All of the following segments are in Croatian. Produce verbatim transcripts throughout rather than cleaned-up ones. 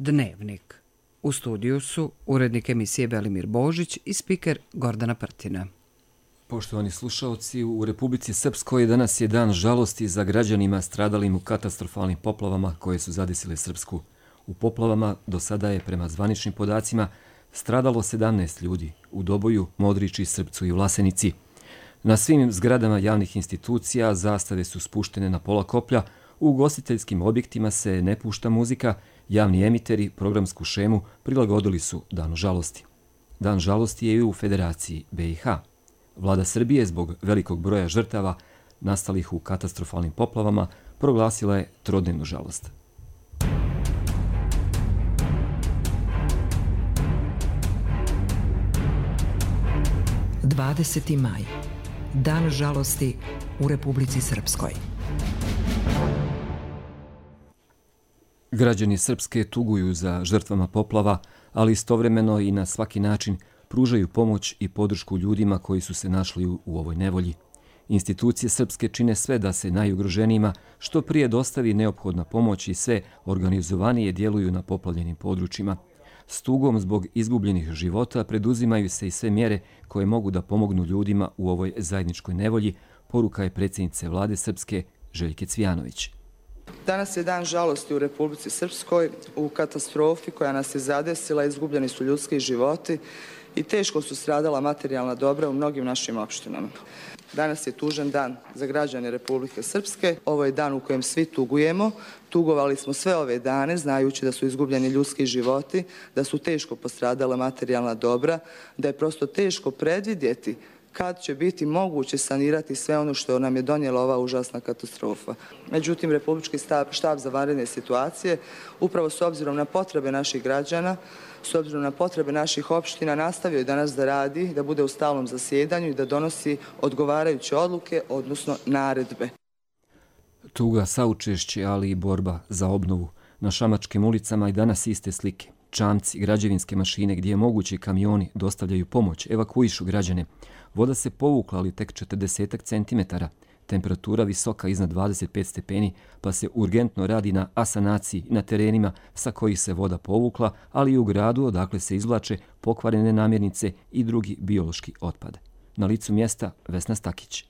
Dnevnik. U studiju su urednik emisije Belimir Božić i spiker Gordana Prtina. Poštovani slušaoci, u Republici Srpskoj danas je dan žalosti za građanima stradalim u katastrofalnim poplavama koje su zadesile Srpsku. U poplavama do sada je, prema zvaničnim podacima, stradalo sedamnaest ljudi u Doboju, Modriči, Srpcu i Vlasenici. Na svim zgradama javnih institucija zastave su spuštene na pola koplja, u ugostiteljskim objektima se ne pušta muzika, javni emiteri programsku šemu prilagodili su Danu žalosti. Dan žalosti je i u Federaciji B i H. Vlada Srbije zbog velikog broja žrtava nastalih u katastrofalnim poplavama proglasila je trodnevnu žalost. dvadeseti maj. Dan žalosti u Republici Srpskoj. Građani Srpske tuguju za žrtvama poplava, ali istovremeno i na svaki način pružaju pomoć i podršku ljudima koji su se našli u, u ovoj nevolji. Institucije Srpske čine sve da se najugroženijima što prije dostavi neophodna pomoć i sve organizovanije djeluju na poplavljenim područjima. S tugom zbog izgubljenih života preduzimaju se i sve mjere koje mogu da pomognu ljudima u ovoj zajedničkoj nevolji, poruka je predsjednice Vlade Srpske Željke Cvijanović. Danas je dan žalosti u Republici Srpskoj. U katastrofi koja nas je zadesila izgubljeni su ljudski životi i teško su stradala materijalna dobra u mnogim našim opštinama. Danas je tužan dan za građane Republike Srpske. Ovo je dan u kojem svi tugujemo. Tugovali smo sve ove dane, znajući da su izgubljeni ljudski životi, da su teško postradala materijalna dobra, da je prosto teško predvidjeti kad će biti moguće sanirati sve ono što nam je donijela ova užasna katastrofa. Međutim, Republički štab za vanredne situacije, upravo s obzirom na potrebe naših građana, s obzirom na potrebe naših opština, nastavio je danas da radi, da bude u stalnom zasjedanju i da donosi odgovarajuće odluke, odnosno naredbe. Tuga, saučešće, ali i borba za obnovu. Na šamačkim ulicama i danas iste slike. Čamci, građevinske mašine gdje je moguće kamioni dostavljaju pomoć, evakuišu građane. Voda se povukla, ali tek četrdeset centimetara. Temperatura visoka iznad dvadeset pet stepeni, pa se urgentno radi na asanaciji na terenima sa kojih se voda povukla, ali i u gradu odakle se izvlače pokvarene namirnice i drugi biološki otpad. Na licu mjesta Vesna Stakić.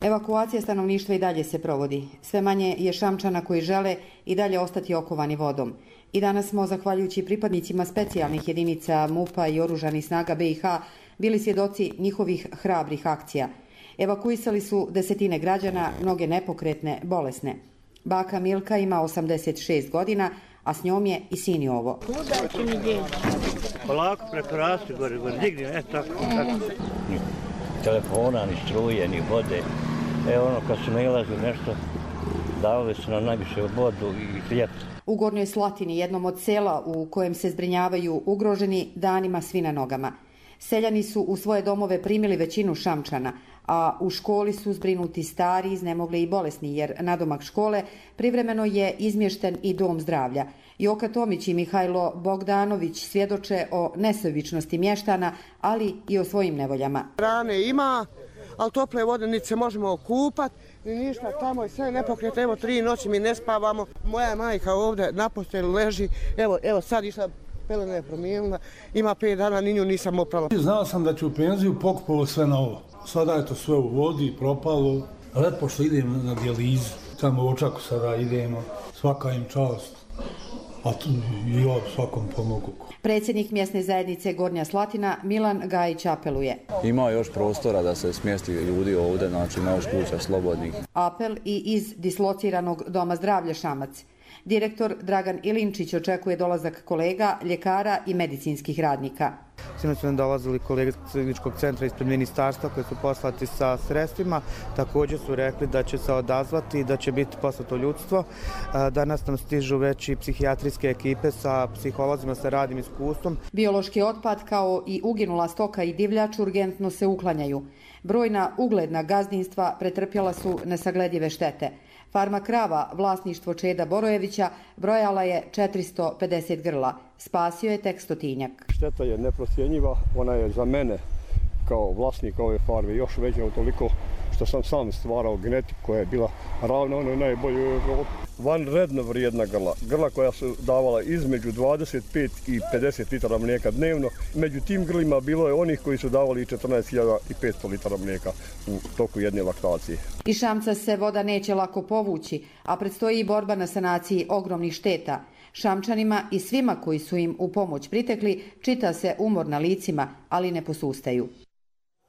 Evakuacija stanovništva i dalje se provodi. Sve manje je Šamčana koji žele i dalje ostati okovani vodom. I danas smo, zahvaljujući pripadnicima specijalnih jedinica MUP-a i oružanih snaga B i H, bili svjedoci njihovih hrabrih akcija. Evakuisali su desetine građana, mnoge nepokretne, bolesne. Baka Milka ima osamdeset šest godina, a s njom je i sin Jovo. Polako preko rastu, gore, gore, digni, e tako, tako. Ni telefona, ni struje, ni vode. Evo ono, kad su nailazili nešto, davali su nam najviše vodu i hljeb. U Gornjoj Slatini, jednom od sela u kojem se zbrinjavaju ugroženi, danima svi na nogama. Seljani su u svoje domove primili većinu Šamčana, a u školi su zbrinuti stari, iznemogli i bolesni, jer nadomak škole privremeno je izmješten i dom zdravlja. Joka Tomić i Mihajlo Bogdanović svjedoče o nesebičnosti mještana, ali i o svojim nevoljama. Rane ima, ali tople vode niti se možemo okupati, ni ništa, tamo je sve nepokretno, evo tri noći mi ne spavamo. Moja majka ovdje na postelju leži, evo, evo sad išla, pelena je promijenila, ima pet dana, ni nju nisam oprala. Znao sam da ću u penziju, pokupalo sve na ovo. Sada je to sve u vodi, propalo. Lepo što idemo na dijalizu, tamo u Očaku sada idemo, svaka im čast, a tu i ja svakom pomogu. Predsjednik mjesne zajednice Gornja Slatina Milan Gajić apeluje. Ima još prostora da se smjesti ljudi ovdje, znači ima još kuća slobodnih. Apel i iz dislociranog doma zdravlja Šamac. Direktor Dragan Ilinčić očekuje dolazak kolega, ljekara i medicinskih radnika. Sinoć su nam dolazili kolege iz kliničkog centra ispred ministarstva koji su poslati sa sredstvima. Također su rekli da će se odazvati i da će biti poslato ljudstvo. Danas nam stižu već i psihijatrijske ekipe sa psiholozima sa radnim iskustvom. Biološki otpad kao i uginula stoka i divljač urgentno se uklanjaju. Brojna ugledna gazdinstva pretrpjela su nesagledive štete. Farma krava, vlasništvo Čeda Borojevića, brojala je četiristo pedeset grla. Spasio je tek stotinjak. Šteta je neprocjenjiva, ona je za mene kao vlasnik ove farme još veća utoliko što sam sam stvarao genetiku koja je bila ravna onoj najboljoj u Evropi. Vanredno vrijedna grla, grla koja su davala između dvadeset pet i pedeset litara mlijeka dnevno. Među tim grlima bilo je onih koji su davali i četrnaest hiljada petsto litara mlijeka u toku jedne laktacije. Iz Šamca se voda neće lako povući, a predstoji i borba na sanaciji ogromnih šteta. Šamčanima i svima koji su im u pomoć pritekli čita se umor na licima, ali ne posustaju.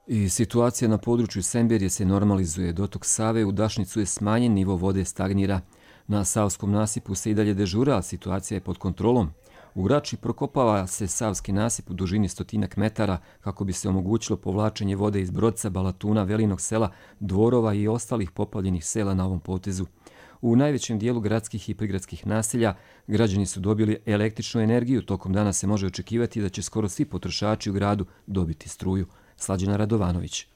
I situacija na području Semberije se normalizuje. Dotok Save u Dašnicu je smanjen, nivo vode stagnira. Na Savskom nasipu se i dalje dežura, a situacija je pod kontrolom. U Grači prokopava se Savski nasip u dužini stotinak metara kako bi se omogućilo povlačenje vode iz Brodca, Balatuna, Velinog sela, Dvorova i ostalih poplavljenih sela na ovom potezu. U najvećem dijelu gradskih i prigradskih naselja građani su dobili električnu energiju. Tokom dana se može očekivati da će skoro svi potrošači u gradu dobiti struju. Slađana Radovanović.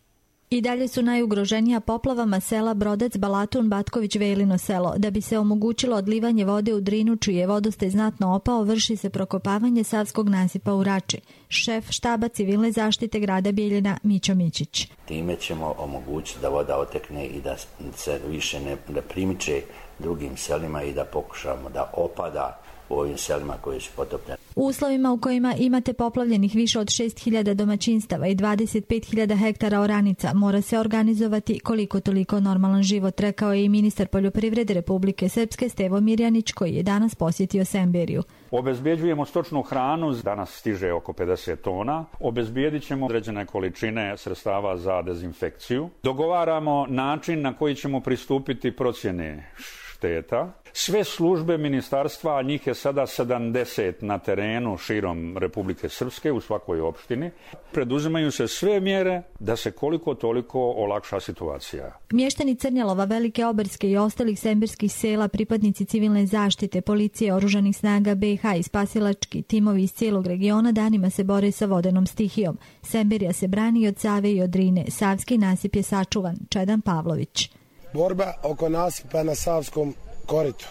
I dalje su najugroženija poplavama sela Brodec, Balatun, Batković, Velino selo. Da bi se omogućilo odlivanje vode u Drinu, čiji je vodostaj znatno opao, vrši se prokopavanje Savskog nasipa u Rači. Šef štaba civilne zaštite grada Bijeljina Mićo Mićić. Time ćemo omogućiti da voda otekne i da se više ne, ne primiče drugim selima i da pokušamo da opada u ovim selima koji su potopljeni. U uslovima u kojima imate poplavljenih više od šest hiljada domaćinstava i dvadeset pet hiljada hektara oranica, mora se organizovati koliko toliko normalan život, rekao je i ministar poljoprivrede Republike Srpske Stevo Mirjanić, koji je danas posjetio Semberiju. Obezbjeđujemo stočnu hranu, danas stiže oko pedeset tona. Obezbijedit ćemo određene količine sredstava za dezinfekciju. Dogovaramo način na koji ćemo pristupiti procjene šteta. Sve službe ministarstva, a njih je sada sedamdeset na terenu širom Republike Srpske u svakoj opštini, preduzimaju se sve mjere da se koliko toliko olakša situacija. Mještani Crnjalova, Velike Oberske i ostalih semberskih sela, pripadnici civilne zaštite, policije, oružanih snaga be i ha i spasilački timovi iz cijelog regiona danima se bore sa vodenom stihijom. Semberija se brani od Save i od Drine. Savski nasip je sačuvan. Čedan Pavlović. Borba oko nasipa na Savskom koritu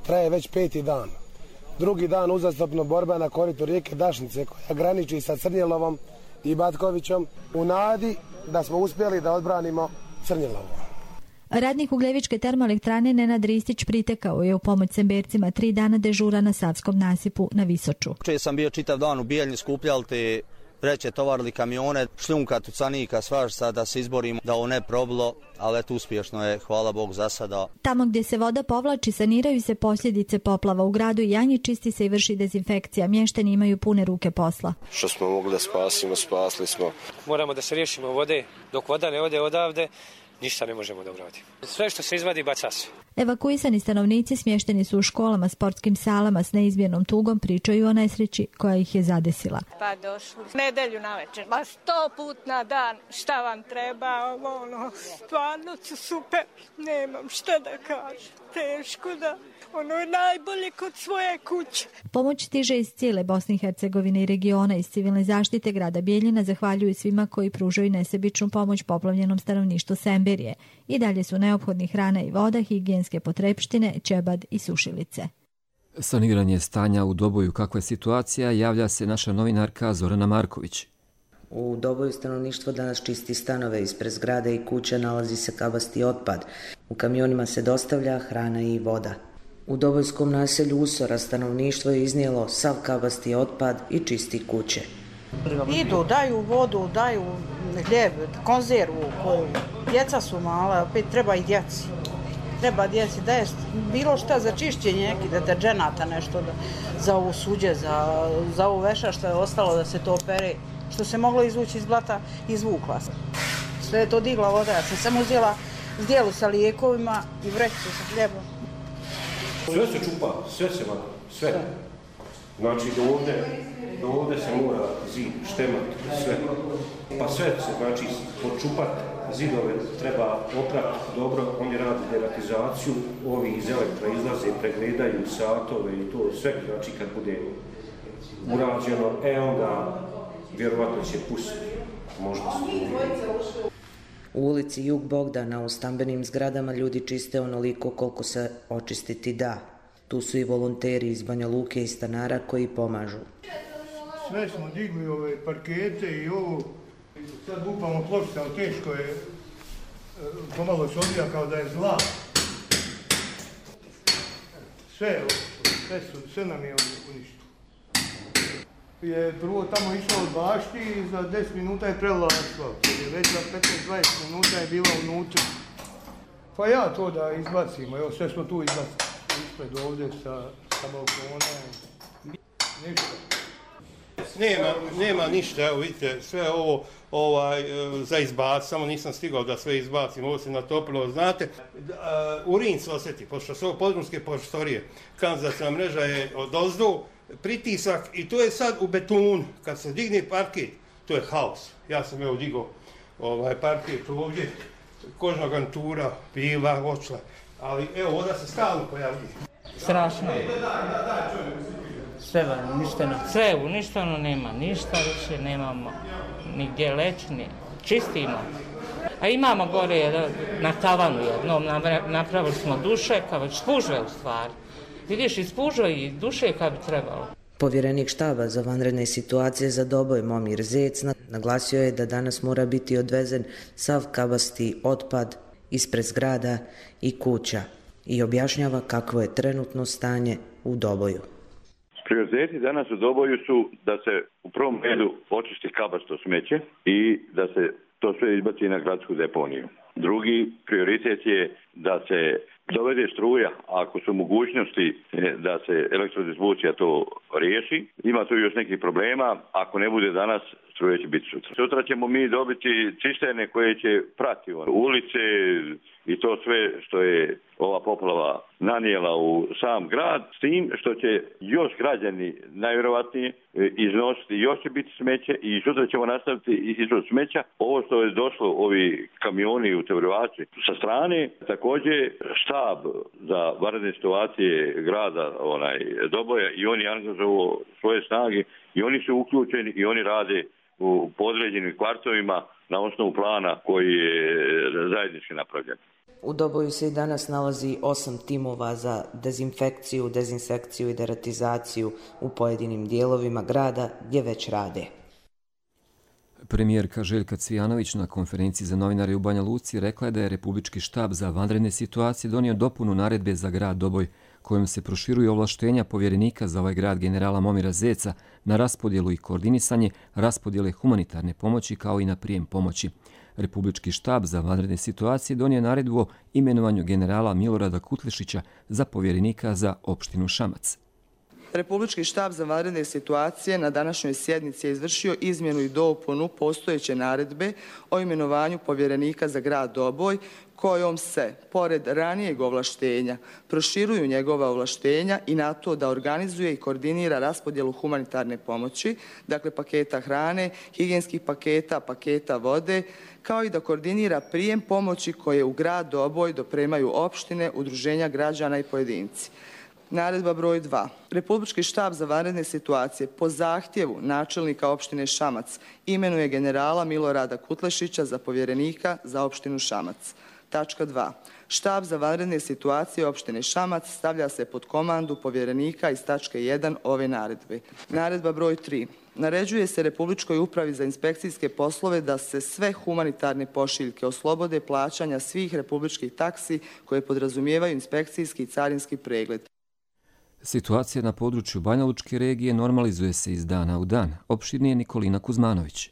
traje već peti dan. Drugi dan uzastopno borba na koritu rijeke Dašnice koja graniči sa Crnjelovom i Batkovićom u nadi da smo uspjeli da odbranimo Crnjelovo. Radnik Ugljevičke termoelektrane Nenad Ristić pritekao je u pomoć Sembercima tri dana dežura na Savskom nasipu na Visoču. Če sam bio čitav dan u Bijeljni, skupljali te vreće, tovarili kamione, šljunka, tucanika, svašta da se izborimo da ovo ne probilo, ali eto uspješno je, hvala Bog za sada. Tamo gdje se voda povlači, saniraju se posljedice poplava. U gradu Janji čisti se i vrši dezinfekcija. Mještani imaju pune ruke posla. Što smo mogli da spasimo, spasli smo. Moramo da se riješimo vode, dok voda ne ode odavde, ništa ne možemo da uradimo. Sve što se izvadi, baca se. Evakuisani stanovnici smješteni su u školama, sportskim salama s neizmjernom tugom, pričaju o nesreći koja ih je zadesila. Pa došli nedelju na večer, ma sto put na dan, šta vam treba, ono, stvarno su super, nemam šta da kažem, teško da, ono je najbolje kod svoje kuće. Pomoć stiže iz cijele Bosne i Hercegovine i regiona. Iz civilne zaštite grada Bijeljina zahvaljuju svima koji pružaju nesebičnu pomoć poplavljenom stanovništvu Semberije. I dalje su neophodni hrana i voda, higijenske potrepštine, ćebad i sušilice. Saniranje stanja u Doboju, kakva je situacija, javlja se naša novinarka Zorana Marković. U Doboju stanovništvo danas čisti stanove, ispred zgrade i kuće nalazi se kabasti otpad. U kamionima se dostavlja hrana i voda. U Dobojskom naselju Usora stanovništvo je iznijelo sav kabasti otpad i čisti kuće. Idu, daju vodu, daju hljeb, konzervu koju djeca su mala, opet treba i djeci. Treba djeci da je bilo šta za čišćenje, neki deterđenata, nešto da, za ovo suđe, za, za ovo veša što je ostalo da se to opere, što se moglo izvući iz blata, izvukla se. Sve je to digla voda, ja sam samo uzela zdjelu sa lijekovima i vrećicu sa hljebom. Sve se čupa, sve se vada, sve. Znači do ovdje, do ovdje se mora zid, štemat, sve. Pa sve se znači počupat, zidove treba oprati dobro, oni rade deratizaciju, ovi iz elektra izlaze, pregledaju satove i to sve, znači kad bude urađeno, e onda vjerovatno će pustiti, možda se. U ulici Jug Bogdana u stambenim zgradama ljudi čiste onoliko koliko se očistiti da. Tu su i volonteri iz Banja Luke i stanara koji pomažu. Sve smo digli ove parkete i ovo, sad lupamo pločice, ali teško je pomalo se odvija kao da je zla. Sve, sve, su, sve nam je uništilo. Je prvo tamo išao od bašti i za deset minuta je prelila asfalt. Već za petnaest dvadeset minuta je bila unutra. Pa ja to da izbacimo, evo sve smo tu izbacili. Ispred ovdje sa, sa balkona. Ništa. Nema, nema ništa, evo vidite, sve ovo ovaj, za izbac, samo nisam stigao da sve izbacim, ovo se natopilo, znate, uh, urin se osjeti, pošto su ovo podrumske prostorije, kanalizacijska mreža je odozdo, pritisak i to je sad u betonu, kad se digne parket, to je haos. Ja sam evo digao ovaj, parket ovdje, kožna garnitura, bila, očla, ali evo, voda se stalno pojavljuje. Strašno. Sve je uništeno, sve je uništeno, nema ništa više, nemamo nigdje leći, ni čistimo. A imamo gore na tavanu jednom, napravili smo dušeka, već spužve u stvari. Vidiš, i spužve i dušeka bi trebalo. Povjerenik štaba za vanredne situacije za Doboj Momir Zec naglasio je da danas mora biti odvezen sav kabasti otpad ispred zgrada i kuća i objašnjava kakvo je trenutno stanje u Doboju. Prioriteti danas u Doboju su da se u prvom redu očisti kabasto smeće i da se to sve izbaci na gradsku deponiju. Drugi prioritet je da se dovede struja, ako su mogućnosti da se elektrodistribucija to riješi. Ima tu još nekih problema, ako ne bude danas, struje će biti sutra. Sutra ćemo mi dobiti cisterne koje će prati ulice i to sve što je ova poplava nanijela u sam grad, s tim što će još građani najvjerovatnije iznositi, još će biti smeće i sutra ćemo nastaviti izvoz smeća. Ovo što je došlo, ovi kamioni u Tevrvači sa strane, također štab za vanredne situacije grada onaj, Doboja i oni angažuju svoje snage i oni su uključeni i oni rade u podređenim kvartovima na osnovu plana koji je zajednički napravljen. U Doboju se i danas nalazi osam timova za dezinfekciju, dezinsekciju i deratizaciju u pojedinim dijelovima grada gdje već rade. Premijerka Željka Cvijanović na konferenciji za novinare u Banja Luci rekla je da je Republički štab za vanredne situacije donio dopunu naredbe za grad Doboj, kojom se proširuju ovlaštenja povjerenika za ovaj grad generala Momira Zeca na raspodjelu i koordinisanje raspodjele humanitarne pomoći kao i na prijem pomoći. Republički štab za vanredne situacije donio naredbu o imenovanju generala Milorada Kutlešića za povjerenika za opštinu Šamac. Republički štab za vanredne situacije na današnjoj sjednici je izvršio izmjenu i dopunu postojeće naredbe o imenovanju povjerenika za grad Doboj, kojom se, pored ranijeg ovlaštenja, proširuju njegova ovlaštenja i na to da organizuje i koordinira raspodjelu humanitarne pomoći, dakle paketa hrane, higijenskih paketa, paketa vode, kao i da koordinira prijem pomoći koje u grad Doboj dopremaju opštine, udruženja građana i pojedinci. Naredba broj dva. Republički štab za vanredne situacije po zahtjevu načelnika opštine Šamac imenuje generala Milorada Kutlešića za povjerenika za opštinu Šamac. Tačka dva. Štab za vanredne situacije opštine Šamac stavlja se pod komandu povjerenika iz tačke jedan ove naredbe. Naredba broj tri. Naređuje se Republičkoj upravi za inspekcijske poslove da se sve humanitarne pošiljke oslobode plaćanja svih republičkih taksi koje podrazumijevaju inspekcijski i carinski pregled. Situacija na području Banja Lučke regije normalizuje se iz dana u dan. Opširnije Nikolina Kuzmanović.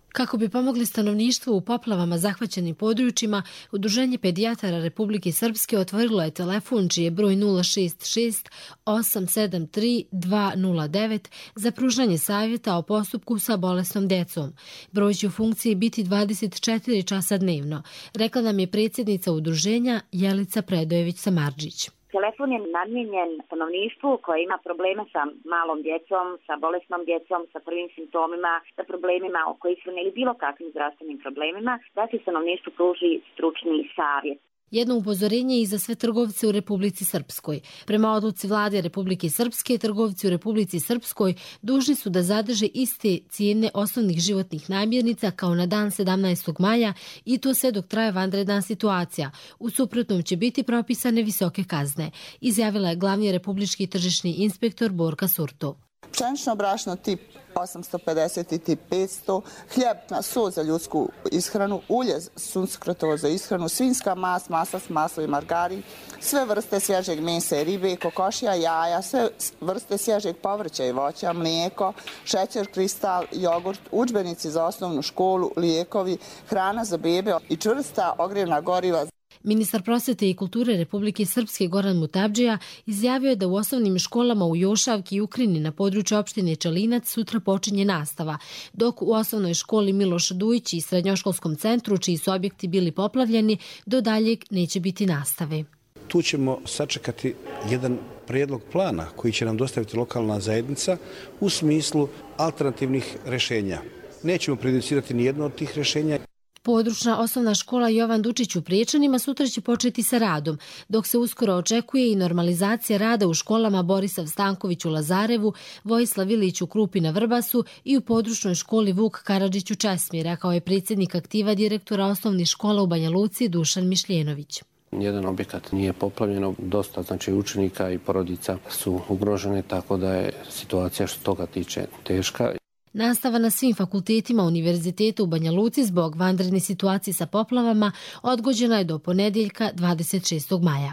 Kako bi pomogli stanovništvu u poplavama zahvaćenim područjima, Udruženje pedijatara Republike Srpske otvorilo je telefon čiji je broj nula šest šest osam sedam tri dva nula devet za pružanje savjeta o postupku sa bolesnom decom. Broj će u funkciji biti dvadeset četiri časa dnevno, rekla nam je predsjednica udruženja Jelica Predojević-Samardžić. Telefon je namijenjen stanovništvu koje ima probleme sa malom djecom, sa bolesnom djecom, sa prvim simptomima, sa problemima oko ishrane ili bilo kakvim zdravstvenim problemima, da se stanovništvu pruži stručni savjet. Jedno upozorenje i za sve trgovce u Republici Srpskoj. Prema odluci vlade Republike Srpske, trgovci u Republici Srpskoj dužni su da zadrže iste cijene osnovnih životnih namirnica kao na dan sedamnaestog maja i to sve dok traje vanredna situacija. U suprotnom će biti propisane visoke kazne, izjavila je glavni republički tržišni inspektor Borka Surto. pšenično brašno tip osamsto pedeset i tip petsto, hljeb na so za ljudsku ishranu, ulje suncokrotovo za ishranu, svinjska mast, masast, maslo i margarin, sve vrste svježeg mesa i ribe, kokošija, jaja, sve vrste svježeg povrća i voća, mlijeko, šećer, kristal, jogurt, udžbenici za osnovnu školu, lijekovi, hrana za bebe i čvrsta ogrjevna goriva. Ministar prosvete i kulture Republike Srpske Goran Mutabdžija izjavio je da u osnovnim školama u Jošavki i Ukrini na području opštine Čelinac sutra počinje nastava, dok u osnovnoj školi Miloš Dujić i srednjoškolskom centru, čiji su objekti bili poplavljeni, do daljeg neće biti nastave. Tu ćemo sačekati jedan prijedlog plana koji će nam dostaviti lokalna zajednica u smislu alternativnih rješenja. Nećemo prejudicirati ni jedno od tih rješenja. Područna osnovna škola Jovan Dučić u Priječanima sutra će početi sa radom, dok se uskoro očekuje i normalizacija rada u školama Borisav Stanković u Lazarevu, Vojislav Ilić u Krupi na Vrbasu i u područnoj školi Vuk Karadžić u Česmira, kao je predsjednik aktiva direktora osnovnih škola u Banja Luci Dušan Mišljenović. Jedan objekat nije poplavljeno, dosta znači učenika i porodica su ugrožene, tako da je situacija što toga tiče teška. Nastava na svim fakultetima Univerziteta u Banja Luci zbog vanredne situacije sa poplavama odgođena je do ponedjeljka dvadeset šestog maja.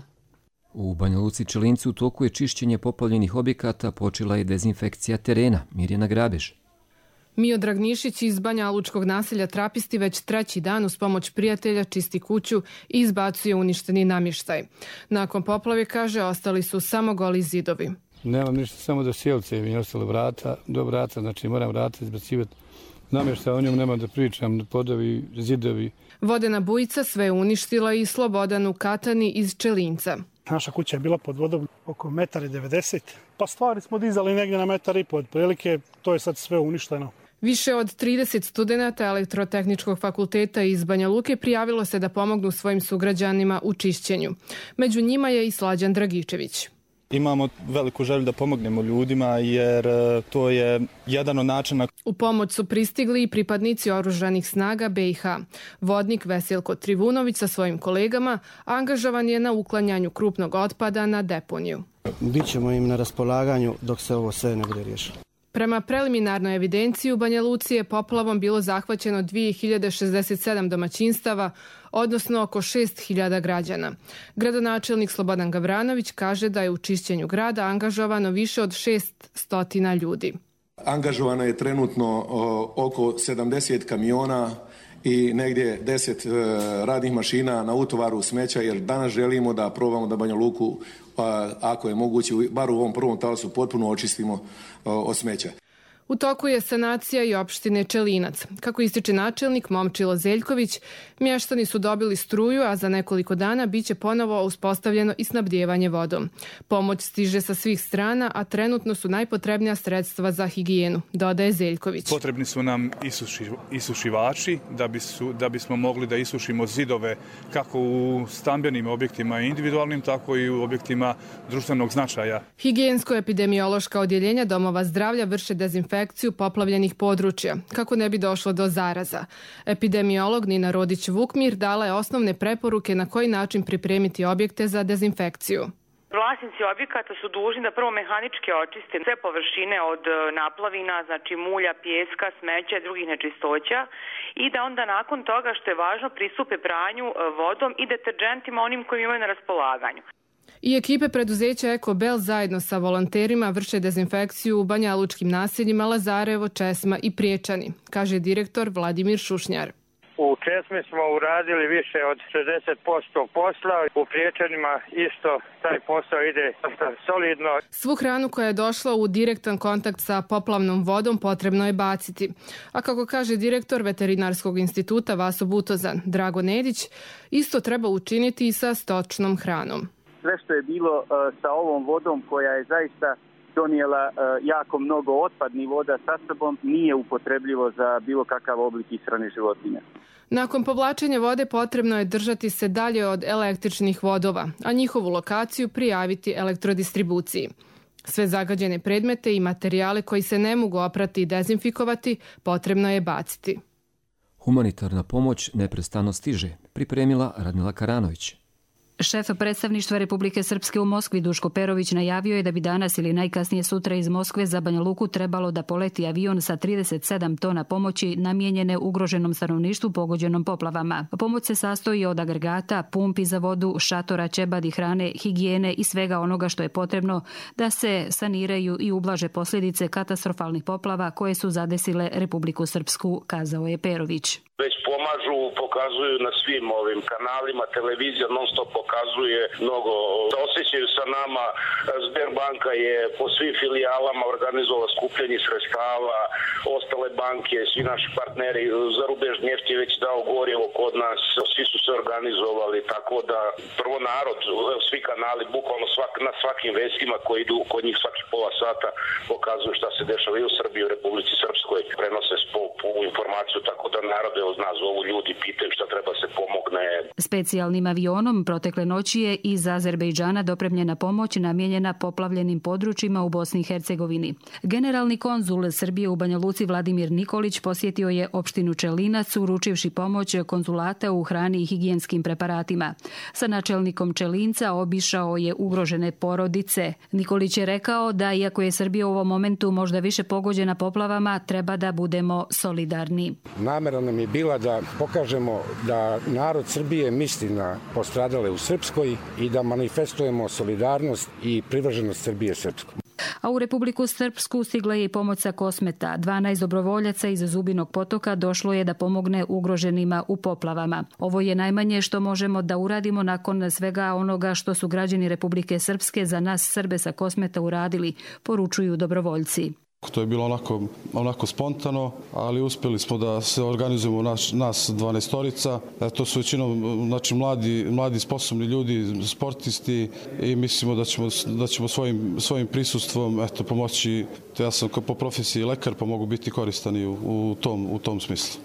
U Banja Luci Čelincu u toku je čišćenje poplavljenih objekata, počela je dezinfekcija terena. Mirjana Grabež. Miodrag Nišić iz Banja Lučkog naselja Trapisti već treći dan uz pomoć prijatelja čisti kuću i izbacuje uništeni namještaj. Nakon poplave, kaže, ostali su samo goli zidovi. Nemam ništa, samo da sjelce mi ostale vrata, do vrata, znači moram vrata izbacivati. Namještaj, o njom nemam da pričam, podovi, zidovi. Vodena bujica sve je uništila i Slobodan u Katani iz Čelinca. Naša kuća je bila pod vodom oko metar i devedeset, pa stvari smo dizali negdje na metar i pod prilike, to je sad sve uništeno. Više od trideset studenata Elektrotehničkog fakulteta iz Banja Luke prijavilo se da pomognu svojim sugrađanima u čišćenju. Među njima je i Slađan Dragičević. Imamo veliku želju da pomognemo ljudima jer to je jedan od načina. U pomoć su pristigli i pripadnici oružanih snaga be i ha. Vodnik Veselko Trivunović sa svojim kolegama angažovan je na uklanjanju krupnog otpada na deponiju. Bićemo im na raspolaganju dok se ovo sve ne bude riješilo. Prema preliminarnoj evidenciji u Banja Luci je poplavom bilo zahvaćeno dvije hiljade šezdeset sedam domaćinstava, odnosno oko šest hiljada građana. Gradonačelnik Slobodan Gavranović kaže da je u čišćenju grada angažovano više od šest stotina ljudi. Angažovano je trenutno oko sedamdeset kamiona i negdje deset radnih mašina na utovaru smeća, jer danas želimo da probamo da Banja Luku, ako je moguće, bar u ovom prvom talasu potpuno očistimo od smeća. U toku je sanacija i opštine Čelinac. Kako ističe načelnik Momčilo Zeljković, mještani su dobili struju, a za nekoliko dana biće ponovo uspostavljeno i snabdijevanje vodom. Pomoć stiže sa svih strana, a trenutno su najpotrebnija sredstva za higijenu, dodaje Zeljković. Potrebni su nam isuši, isušivači da, bi su, da bismo mogli da isušimo zidove kako u stambenim objektima individualnim, tako i u objektima društvenog značaja. Higijensko-epidemiološka odjeljenja domova zdravlja vrše dezinfekciju poplavljenih područja, kako ne bi došlo do zaraza. Epidemiolog Nina Rodić-Vukmir dala je osnovne preporuke na koji način pripremiti objekte za dezinfekciju. Vlasnici objekata su dužni da prvo mehanički očiste sve površine od naplavina, znači mulja, pijeska, smeća i drugih nečistoća i da onda nakon toga, što je važno, pristupe pranju vodom i deterđentima onim kojim imaju na raspolaganju. I ekipe preduzeća Ekobel zajedno sa volonterima vrše dezinfekciju u banjalučkim naseljima Lazarevo, Česma i Priječani, kaže direktor Vladimir Šušnjar. U Česmi smo uradili više od šezdeset posto posla, u Priječanima isto taj posao ide solidno. Svu hranu koja je došla u direktan kontakt sa poplavnom vodom potrebno je baciti. A kako kaže direktor Veterinarskog instituta Vaso Butozan, Drago Nedić, isto treba učiniti i sa stočnom hranom. Sve što je bilo uh, sa ovom vodom koja je zaista donijela uh, jako mnogo otpadnih voda sa sobom, nije upotrebljivo za bilo kakav oblik ishrane životinja. Nakon povlačenja vode potrebno je držati se dalje od električnih vodova, a njihovu lokaciju prijaviti elektrodistribuciji. Sve zagađene predmete i materijale koji se ne mogu oprati i dezinfikovati potrebno je baciti. Humanitarna pomoć neprestano stiže, pripremila Radmila Karanović. Šef predstavništva Republike Srpske u Moskvi Duško Perović najavio je da bi danas ili najkasnije sutra iz Moskve za Banja Luku trebalo da poleti avion sa trideset sedam tona pomoći namijenjene ugroženom stanovništvu pogođenom poplavama. Pomoć se sastoji od agregata, pumpi za vodu, šatora, ćebadi, hrane, higijene i svega onoga što je potrebno da se saniraju i ublaže posljedice katastrofalnih poplava koje su zadesile Republiku Srpsku, kazao je Perović. Već pomažu, pokazuju na svim ovim kanalima, televizija non stop pokazuje mnogo, osjećaju sa nama. Sberbanka je po svim filijalama organizovala skupljanje sredstava, ostale banke, svi naši partneri, Zarubežni neft je već dao gorivo kod nas, svi su se organizovali, tako da prvo narod, svi kanali, bukvalno svak, na svakim vestima koji idu kod njih svaki pola sata pokazuju šta se dešava i u Srbiji, u Republici Srpskoj, prenose po, po informaciju, tako da narod je nas zovu ljudi, pitaju šta treba se pomogne. Specijalnim avionom protekle noći je iz Azerbejdžana dopremljena pomoć namijenjena poplavljenim područjima u Bosni i Hercegovini. Generalni konzul Srbije u Banja Luci Vladimir Nikolić posjetio je opštinu Čelinac uručivši pomoć konzulata u hrani i higijenskim preparatima. Sa načelnikom Čelinca obišao je ugrožene porodice. Nikolić je rekao da iako je Srbija u ovom momentu možda više pogođena poplavama, treba da budemo solidarni. Namera nam je bila da pokažemo da narod Srbije misli na postradale u Srpskoj i da manifestujemo solidarnost i privrženost Srbije Srpskoj. A u Republiku Srpsku stigla je i pomoć sa Kosmeta. dvanaest dobrovoljaca iz Zubinog potoka došlo je da pomogne ugroženima u poplavama. Ovo je najmanje što možemo da uradimo nakon svega onoga što su građani Republike Srpske za nas Srbe sa Kosmeta uradili, poručuju dobrovoljci. To je bilo onako, onako spontano, ali uspjeli smo da se organizujemo naš, nas dvanaestorica. To su većinom znači, mladi, mladi sposobni ljudi, sportisti i mislimo da ćemo, da ćemo svojim, svojim prisustvom eto, pomoći. Ja sam po profesiji lekar pa mogu biti koristan i u, u, tom, u tom smislu.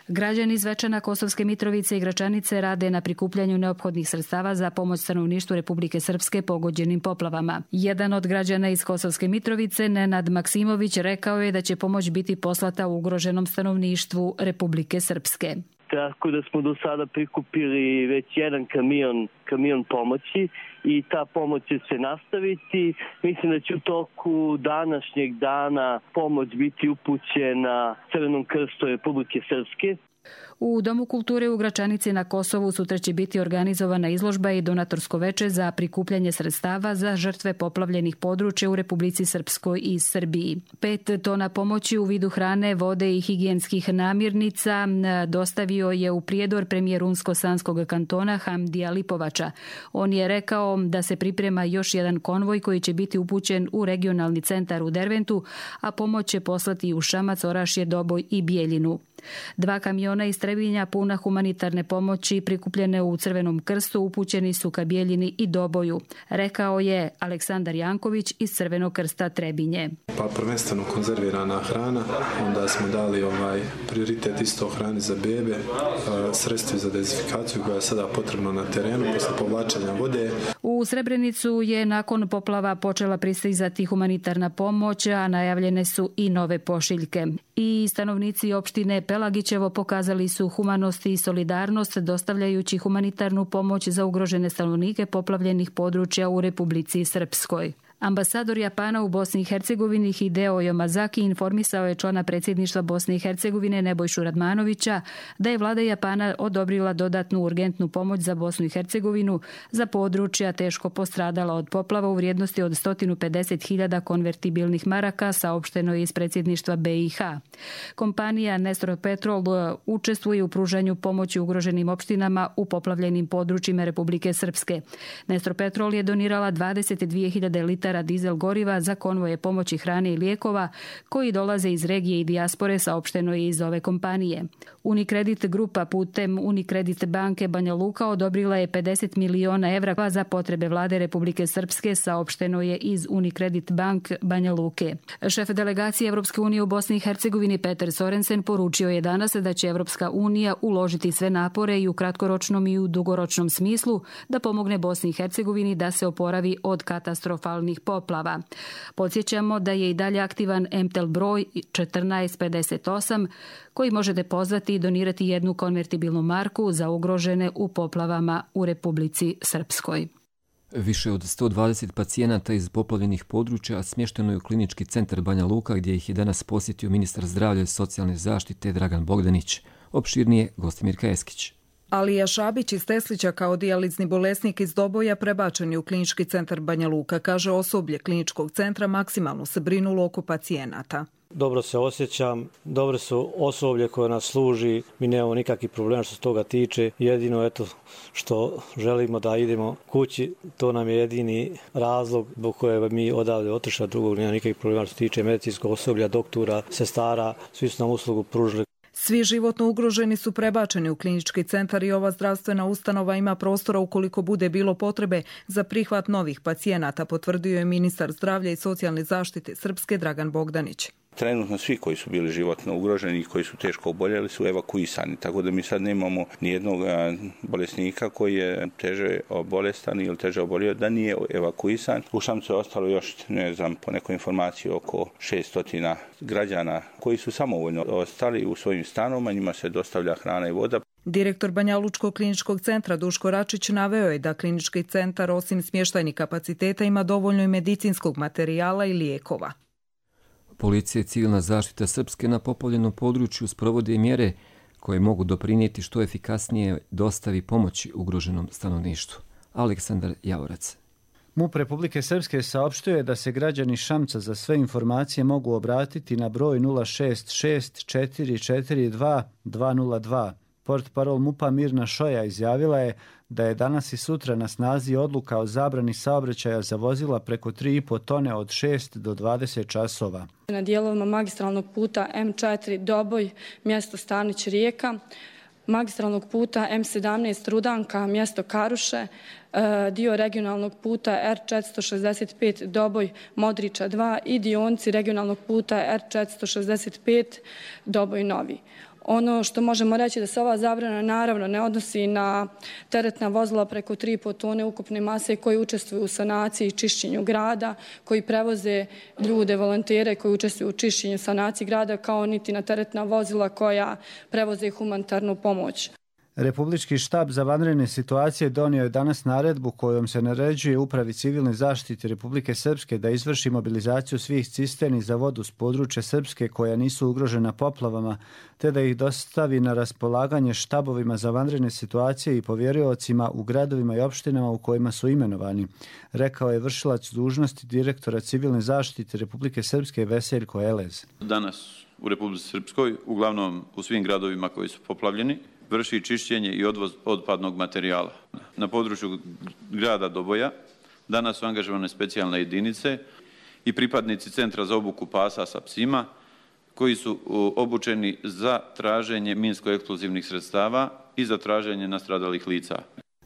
Građani iz Zvečana, Kosovske Mitrovice i Gračanice rade na prikupljanju neophodnih sredstava za pomoć stanovništvu Republike Srpske pogođenim poplavama. Jedan od građana iz Kosovske Mitrovice, Nenad Maksimović, rekao je da će pomoć biti poslata ugroženom stanovništvu Republike Srpske. Tako da smo do sada prikupili već jedan kamion, kamion pomoći i ta pomoć će se nastaviti. Mislim da će u toku današnjeg dana pomoć biti upućena Crvenom krstu Republike Srpske. U Domu kulture u Gračanici na Kosovu sutra će biti organizovana izložba i donatorsko veče za prikupljanje sredstava za žrtve poplavljenih područja u Republici Srpskoj i Srbiji. Pet tona pomoći u vidu hrane, vode i higijenskih namirnica dostavio je u Prijedor premijer Unsko-Sanskog kantona Hamdija Lipovača. On je rekao da se priprema još jedan konvoj koji će biti upućen u regionalni centar u Derventu, a pomoć će poslati u Šamac, Orašje, Doboj i Bijeljinu. Dva kamiona iz Trebinja puna humanitarne pomoći prikupljene u Crvenom krstu upućeni su ka Bijeljini i Doboju, rekao je Aleksandar Janković iz Crvenog krsta Trebinje. Pa prvenstveno konzervirana hrana, onda smo dali ovaj prioritet isto hrani za bebe, sredstvi za dezinfikaciju koja je sada potrebno na terenu posle povlačenja vode. U Srebrenicu je nakon poplava počela pristizati humanitarna pomoć, a najavljene su i nove pošiljke. I stanovnici opštine Pelagićevo pokazali su humanost i solidarnost dostavljajući humanitarnu pomoć za ugrožene stanovnike poplavljenih područja u Republici Srpskoj. Ambasador Japana u Bosni i Hercegovini Hideo Yamazaki informisao je člana predsjedništva Bosne i Hercegovine Nebojšu Radmanovića da je vlada Japana odobrila dodatnu urgentnu pomoć za Bosnu i Hercegovinu za područja teško postradala od poplava u vrijednosti od sto pedeset hiljada konvertibilnih maraka, saopšteno je iz predsjedništva B i H. Kompanija Nestor Petrol učestvuje u pružanju pomoći ugroženim opštinama u poplavljenim područjima Republike Srpske. Nestor Petrol je donirala dvadeset dvije hiljade litara dizel goriva za konvoje pomoći hrane i lijekova koji dolaze iz regije i dijaspore, saopšteno je iz ove kompanije. Unicredit grupa putem Unicredit banke Banja Luka odobrila je pedeset miliona evra za potrebe vlade Republike Srpske, saopšteno je iz Unicredit bank Banja Luke. Šef delegacije Evropske unije u Bosni i Hercegovini Peter Sorensen poručio je danas da će Evropska unija uložiti sve napore i u kratkoročnom i u dugoročnom smislu da pomogne Bosni i Hercegovini da se oporavi od katastrofalnih katastrofalnih poplava. Podsjećamo da je i dalje aktivan M T E L broj četrnaest pedeset osam koji možete pozvati i donirati jednu konvertibilnu marku za ugrožene u poplavama u Republici Srpskoj. Više od sto dvadeset pacijenata iz poplavljenih područja smješteno je u klinički centar Banja Luka gdje ih je danas posjetio ministar zdravlja i socijalne zaštite Dragan Bogdanić. Opširnije Gostimir Kajeskić. Alija Šabić iz Teslića kao dijalizni bolesnik iz Doboja prebačen je u klinički centar Banja Luka. Kaže, osoblje kliničkog centra maksimalno se brinulo oko pacijenata. Dobro se osjećam, dobre su osoblje koje nas služi, mi nemamo nikakvih problema što se toga tiče. Jedino eto što želimo da idemo kući, to nam je jedini razlog zbog koje mi odavde otišli, drugog nema nikakvih problema što se tiče medicinskog osoblja, doktora, sestara, svi su nam uslugu pružili. Svi životno ugroženi su prebačeni u klinički centar i ova zdravstvena ustanova ima prostora ukoliko bude bilo potrebe za prihvat novih pacijenata, potvrdio je ministar zdravlja i socijalne zaštite Srpske Dragan Bogdanić. Trenutno svi koji su bili životno ugroženi i koji su teško oboljeli su evakuisani, tako da mi sad nemamo nijednog bolesnika koji je teže bolestan ili teže obolio da nije evakuisan. U Šamcu je ostalo još, ne znam, po nekoj informaciji oko šesto građana koji su samovoljno ostali u svojim stanovima, njima se dostavlja hrana i voda. Direktor Banjalučkog kliničkog centra Duško Račić naveo je da klinički centar osim smještajnih kapaciteta ima dovoljno i medicinskog materijala i lijekova. Policija i civilna zaštita Srpske na poplavljenom području sprovode mjere koje mogu doprinijeti što efikasnije dostavi pomoći ugroženom stanovništvu. Aleksandar Javorac. MUP Republike Srpske saopštio je da se građani Šamca za sve informacije mogu obratiti na broj nula šest šest četiri četiri dva dva nula dva. Portparol MUP-a Mirna Šoja izjavila je da je danas i sutra na snazi odluka o zabrani saobraćaja za vozila preko tri i po tone od šest do dvadeset časova. Na dijelovima magistralnog puta M četiri Doboj, mjesto Stanić Rijeka, magistralnog puta M sedamnaest Rudanka, mjesto Karuše, dio regionalnog puta R četiristo šezdeset pet Doboj Modriča dva i dionici regionalnog puta R četiristo šezdeset pet Doboj Novi. Ono što možemo reći da se ova zabrana naravno ne odnosi na teretna vozila preko tri i po tone ukupne mase koji učestvuju u sanaciji i čišćenju grada, koji prevoze ljude, volontere koji učestvuju u čišćenju i sanaciji grada, kao niti na teretna vozila koja prevoze humanitarnu pomoć. Republički štab za vanredne situacije donio je danas naredbu kojom se naređuje Upravi civilne zaštite Republike Srpske da izvrši mobilizaciju svih cisterni za vodu s područja Srpske koja nisu ugrožena poplavama, te da ih dostavi na raspolaganje štabovima za vanredne situacije i povjeriocima u gradovima i opštinama u kojima su imenovani, rekao je vršilac dužnosti direktora civilne zaštite Republike Srpske Veseljko Elez. Danas u Republici Srpskoj, uglavnom u svim gradovima koji su poplavljeni, vrši čišćenje i odvoz otpadnog materijala. Na području grada Doboja danas su angažovane specijalne jedinice i pripadnici Centra za obuku pasa sa psima koji su obučeni za traženje minsko-eksplozivnih sredstava i za traženje nastradalih lica.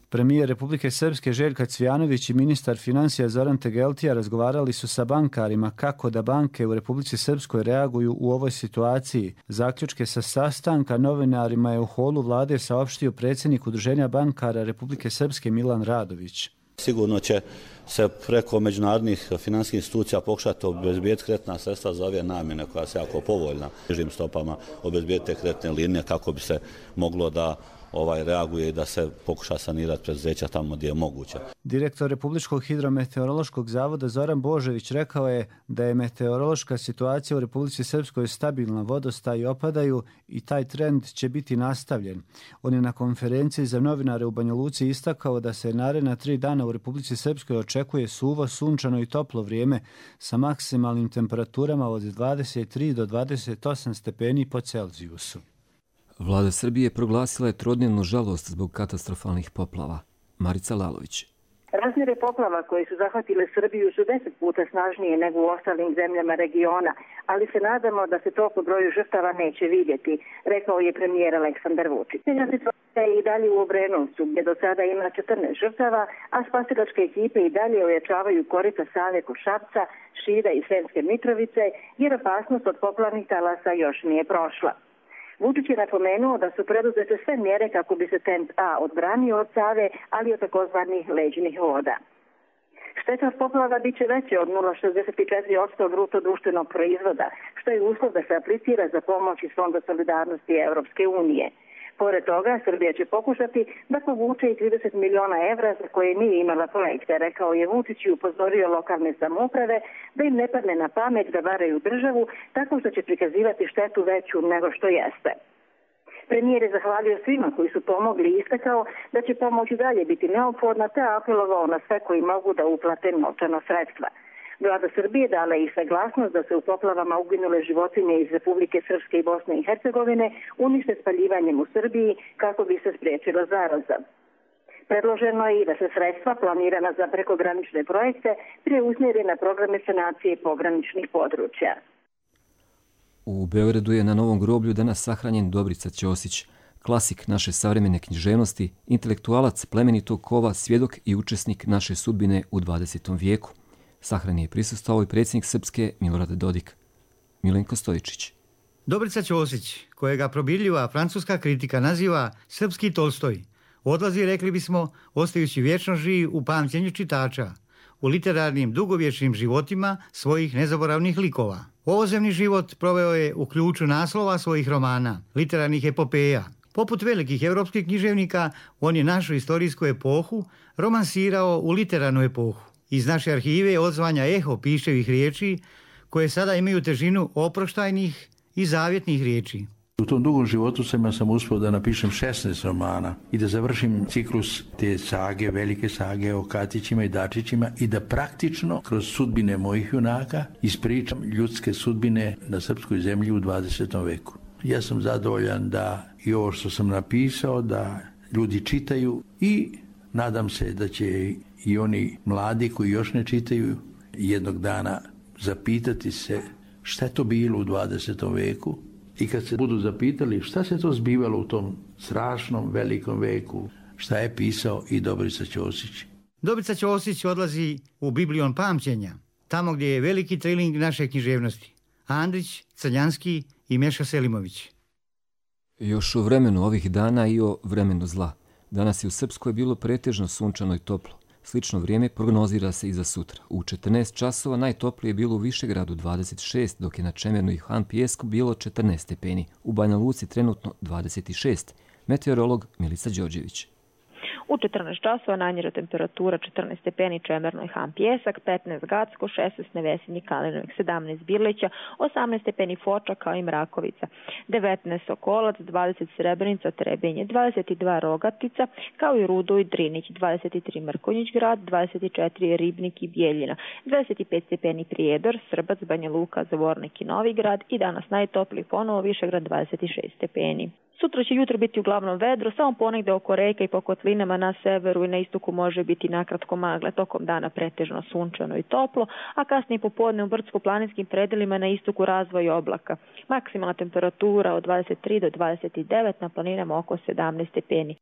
Premijer Republike Srpske Željka Cvijanović i ministar financija Zoran Tegeltija razgovarali su sa bankarima kako da banke u Republici Srpskoj reaguju u ovoj situaciji. Zaključke sa sastanka novinarima je u holu vlade saopštio predsjednik Udruženja bankara Republike Srpske Milan Radović. Sigurno će se preko međunarodnih financijskih institucija pokušati obezbijeti kreditna sredstva za ove namjene koja se jako povoljna. Nižim stopama obezbijeti kreditne linije kako bi se moglo da ovaj reaguje i da se pokuša sanirati preduzeća tamo gdje je moguće. Direktor Republičkog hidrometeorološkog zavoda Zoran Božević rekao je da je meteorološka situacija u Republici Srpskoj stabilna, vodostaji opadaju i taj trend će biti nastavljen. On je na konferenciji za novinare u Banja Luci istakao da se naredna tri dana u Republici Srpskoj očekuje suvo, sunčano i toplo vrijeme sa maksimalnim temperaturama od dvadeset tri do dvadeset osam stepeni po Celzijusu. Vlada Srbije proglasila je trodnevnu žalost zbog katastrofalnih poplava. Marica Lalović. Razmjere poplava koje su zahvatile Srbiju su deset puta snažnije nego u ostalim zemljama regiona, ali se nadamo da se to po broju žrtava neće vidjeti, rekao je premijer Aleksandar Vučić. Situacija je i dalje u Obrenovcu, gdje do sada ima četrnaest žrtava, a spasilačke ekipe i dalje ojačavaju korita Save kod Šapca, Šida i Sremske Mitrovice, jer opasnost od poplavnih talasa još nije prošla. Vučić je napomenuo da su preduzete sve mjere kako bi se Tent A odbranio od Save, ali od takozvanih leđnih voda. Šteta od poplava biće veće od nula zarez šezdeset četiri posto bruto društvenog proizvoda, što je uslov da se aplicira za pomoć iz Fonda solidarnosti Evropske unije. Pored toga, Srbija će pokušati da povuče i trideset miliona evra za koje nije imala projekte, rekao je Vučić i upozorio lokalne samouprave da im ne padne na pamet da varaju državu tako što će prikazivati štetu veću nego što jeste. Premijer je zahvalio svima koji su pomogli i istakao da će pomoć i dalje biti neophodna te apelovao na sve koji mogu da uplate novčana sredstva. Vlada Srbije dala je i saglasnost da se u poplavama uginule životinje iz Republike Srpske i Bosne i Hercegovine unište spaljivanjem u Srbiji kako bi se spriječila zaraza. Predloženo je i da se sredstva planirana za prekogranične projekte preusmjeri na programe sanacije pograničnih područja. U Beogradu je na Novom groblju danas sahranjen Dobrica Ćosić, klasik naše savremene književnosti, intelektualac plemenitog kova, svjedok i učesnik naše sudbine u dvadesetom vijeku. Sahrani je prisustvovao i predsjednik Srpske Milorad Dodik. Milenko Stojičić. Dobrica Ćosić, kojega probirljiva francuska kritika naziva srpski Tolstoj, odlazi, rekli bismo, ostajući vječno živ u pamćenju čitača, u literarnim dugovječnim životima svojih nezaboravnih likova. Ovozemni život proveo je u ključu naslova svojih romana, literarnih epopeja. Poput velikih europskih književnika, on je našu istorijsku epohu romansirao u literarnu epohu. Iz naše arhive odzvanja eho piševih riječi, koje sada imaju težinu oproštajnih i zavjetnih riječi. U tom dugom životu sam, sam uspio da napišem šesnaest romana i da završim ciklus te sage, velike sage o Katićima i Dačićima i da praktično kroz sudbine mojih junaka ispričam ljudske sudbine na srpskoj zemlji u dvadesetom veku. Ja sam zadovoljan da i ovo što sam napisao, da ljudi čitaju i nadam se da će i oni mladi koji još ne čitaju jednog dana zapitati se šta je to bilo u dvadesetom veku i kad se budu zapitali šta se to zbivalo u tom strašnom velikom veku, šta je pisao i Dobrica Ćosić. Dobrica Ćosić odlazi u Biblion pamćenja, tamo gdje je veliki triling naše književnosti. Andrić, Crnjanski i Meša Selimović. Još o vremenu ovih dana i o vremenu zla. Danas je u Srpskoj bilo pretežno sunčano i toplo. Slično vrijeme prognozira se i za sutra. U četrnaest časova najtoplije je bilo u Višegradu dvadeset šest, dok je na Čemernu i Han Pijesku bilo četrnaest stepeni. U Banja Luci trenutno dvadeset šest. Meteorolog Milica Đorđević. U četrnaest časova najniža temperatura četrnaest stepeni Čemerno i Han Pijesak, petnaest Gacko, šesnaest Nevesinji Kalinovik, sedamnaest Birlića, osamnaest stepeni Foča kao i Mrakovica, devetnaest Sokolac, dvadeset Srebrenica, Trebinje, dvadeset dva Rogatica, kao i Rudo i Drinić, dvadeset tri Mrkonjić grad, dvadeset četiri Ribnik i Bijeljina, dvadeset pet stepeni Prijedor, Srbac, Banja Luka, Zvornik i Novi grad i danas najtopliji ponovo Višegrad dvadeset šest stepeni. Sutra će jutro biti uglavnom vedro, samo ponegde oko reka i po kotlinama na severu i na istoku može biti nakratko magle, tokom dana pretežno sunčano i toplo, a kasnije popodne u brdsko-planinskim predelima na istoku razvoj oblaka. Maksimalna temperatura od dvadeset tri do dvadeset devet, na planinama oko sedamnaest stepeni.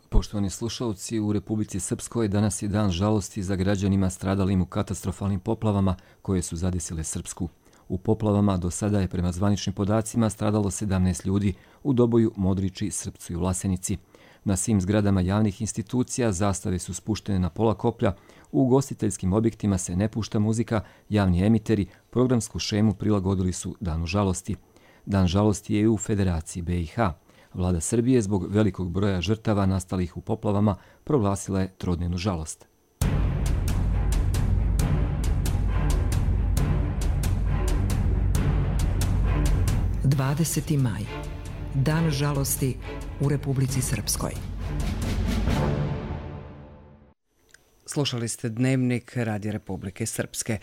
Poštovani slušalci, u Republici Srpskoj danas je dan žalosti za građanima stradalim u katastrofalnim poplavama koje su zadesile Srpsku. U poplavama do sada je prema zvaničnim podacima stradalo sedamnaest ljudi u Doboju, Modriči, Srpcu i Vlasenici. Na svim zgradama javnih institucija zastave su spuštene na pola koplja, u ugostiteljskim objektima se ne pušta muzika, javni emiteri programsku šemu prilagodili su Danu žalosti. Dan žalosti je i u Federaciji B i H. Vlada Srbije zbog velikog broja žrtava nastalih u poplavama proglasila je trodnevnu žalost. dvadeseti maj. Dan žalosti u Republici Srpskoj. Slušali ste Dnevnik Radija Republike Srpske.